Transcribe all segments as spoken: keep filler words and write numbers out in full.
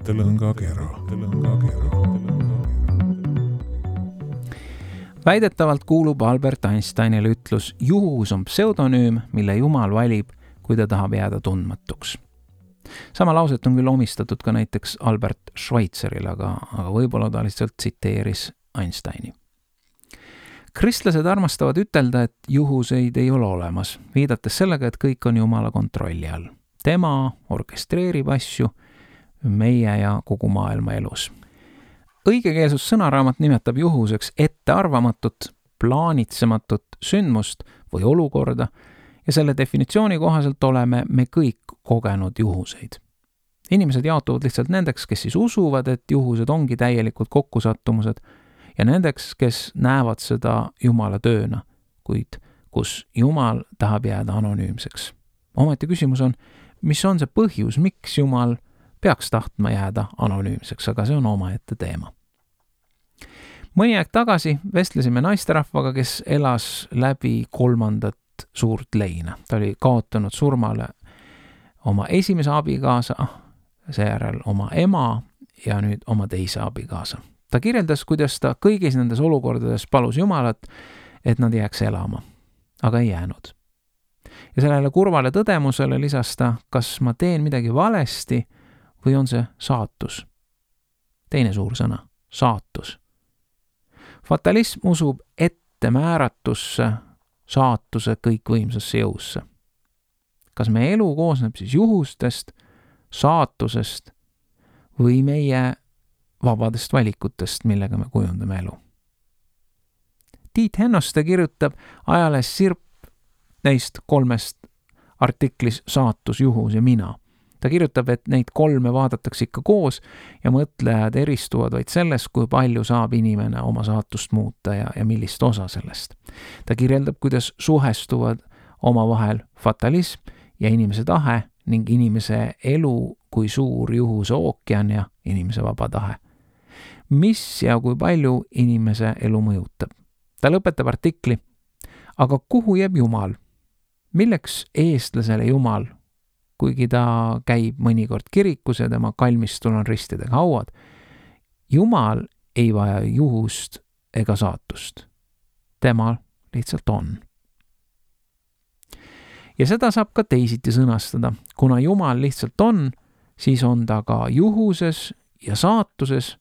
mõttelõngakera. Väidetavalt kuulub Albert Einsteinile ütlus, juhus on pseudonüüm, mille Jumal valib, kui ta tahab jääda tundmatuks. Sama lauset on küll omistatud ka näiteks Albert Schweitzerile, aga, aga võib-olla ta lihtsalt tsiteeris Einsteini. Kristlased armastavad ütelda, et juhuseid ei ole olemas, viidates sellega, et kõik on Jumala kontrolli all. Tema orkestreerib asju meie ja kogu maailma elus. Õigekeelsus sõnaraamat nimetab juhuseks ettearvamatut, plaanitsematut sündmust või olukorda ja selle definitsiooni kohaselt oleme me kõik kogenud juhuseid. Inimesed jaotuvad lihtsalt nendeks, kes siis usuvad, et juhused ongi täielikult kokkusattumused ja nendeks, kes näevad seda Jumala tööna, kuid kus Jumal tahab jääda anonüümseks. Ometi küsimus on, mis on see põhjus, miks Jumal peaks tahtma jääda anonüümseks, aga see on omaette teema. Mõni aeg tagasi vestlesime naisterahvaga, kes elas läbi kolmandat suurt leina. Ta oli kaotanud surmale oma esimese abikaasa, seejärel oma ema ja nüüd oma teise abikaasa. Ta kirjeldas, kuidas ta kõigis nendes olukordades palus Jumalat, et nad jääks elama, aga ei jäänud. Ja sellele kurvale tõdemusele lisas ta, kas ma teen midagi valesti või on see saatus. Teine suur sõna, saatus. Fatalism usub ettemääratusse, saatuse kõikvõimsasse jõusse. Kas meie elu koosneb siis juhustest, saatusest või meie vabadest valikutest, millega me kujundame elu? Tiit Hennoste kirjutab ajalehes Sirp neist kolmest artiklis Saatus, juhus ja mina. Ta kirjutab, et neid kolme vaadatakse ikka koos ja mõtlejad eristuvad vaid selles, kui palju saab inimene oma saatust muuta ja, ja millist osa sellest. Ta kirjeldab, kuidas suhestuvad omavahel fatalism ja inimese tahe ning inimese elu kui suur juhuse ookean ja inimese vaba tahe. Mis ja kui palju inimese elu mõjutab? Ta lõpetab artikli, aga kuhu jääb Jumal? Milleks eestlasele Jumal? Kuigi ta käib mõnikord kirikus ja tema kalmistul on ristidega hauad. Jumal ei vaja juhust ega saatust. Tema lihtsalt on. Ja seda saab ka teisiti sõnastada. Kuna Jumal lihtsalt on, siis on ta ka juhuses ja saatuses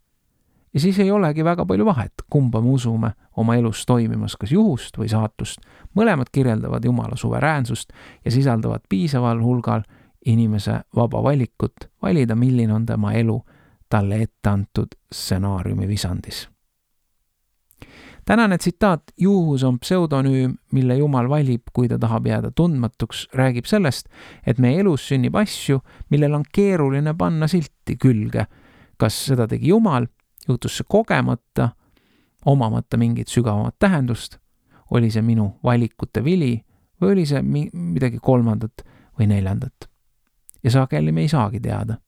ja siis ei olegi väga palju vahet, kumba me usume oma elus toimimas, kas juhust või saatust. Mõlemad kirjeldavad Jumala suveräänsust ja sisaldavad piisaval hulgal inimese vaba valikut valida, milline on tema elu talle ette antud stsenaariumi visandis. Tänane tsitaat, juhus on pseudonüüm, mille Jumal valib, kui ta tahab jääda tundmatuks, räägib sellest, et meie elus sünnib asju, millel on keeruline panna silti külge. Kas seda tegi Jumal, juhtus see kogemata, omamata mingit sügavamat tähendust, oli see minu valikute vili või oli see midagi kolmandat või neljandat. Ja sageli me ei saagi teada.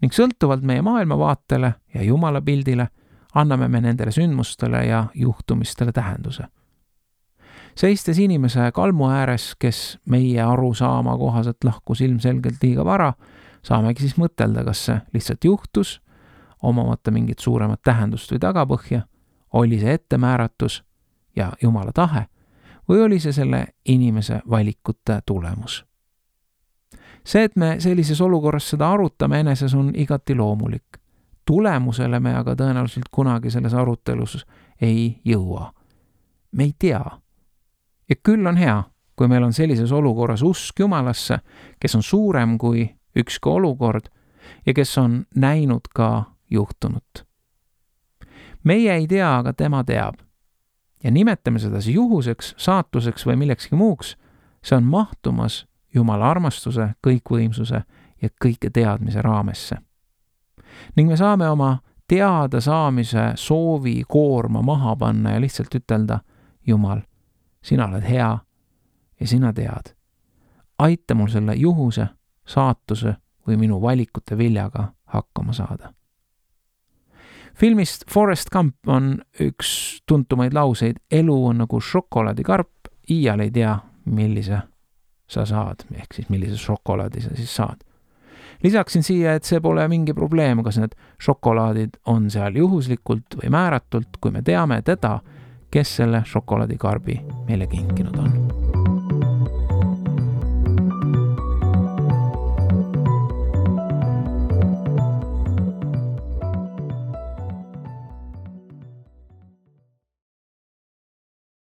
Ning sõltuvalt meie maailmavaatele ja Jumala pildile anname me nendele sündmustele ja juhtumistele tähenduse. Seistes inimese kalmu ääres, kes meie arusaama kohaselt lahkus ilmselgelt liiga vara, saamegi siis mõtelda, kas see lihtsalt juhtus, omamata mingit suuremat tähendust või tagapõhja, oli see ettemääratus ja Jumala tahe või oli see selle inimese valikute tulemus. See, et me sellises olukorras seda arutame eneses, on igati loomulik. Tulemusele me aga tõenäoliselt kunagi selles arutelus ei jõua. Me ei tea. Ja küll on hea, kui meil on sellises olukorras usk Jumalasse, kes on suurem kui ükski olukord ja kes on näinud ka juhtunut. Meie ei tea, aga tema teab. Ja nimetame seda juhuseks, saatuseks või millekski muuks, see on mahtumas Jumala armastuse, kõikvõimsuse ja kõike teadmise raamesse. Ning me saame oma teada saamise soovi koorma maha panna ja lihtsalt ütelda, Jumal, sina oled hea ja sina tead. Aita mul selle juhuse, saatuse või minu valikute viljaga hakkama saada. Filmist Forrest Gump on üks tuntumaid lauseid, elu on nagu šokolaadikarp, iial ei tea, millise sa saad, ehk siis millise šokolaadi sa siis saad. Lisaksin siia, et see pole mingi probleem, kas need šokolaadid on seal juhuslikult või määratult, kui me teame teda, kes selle šokolaadikarbi meile kinkinud on.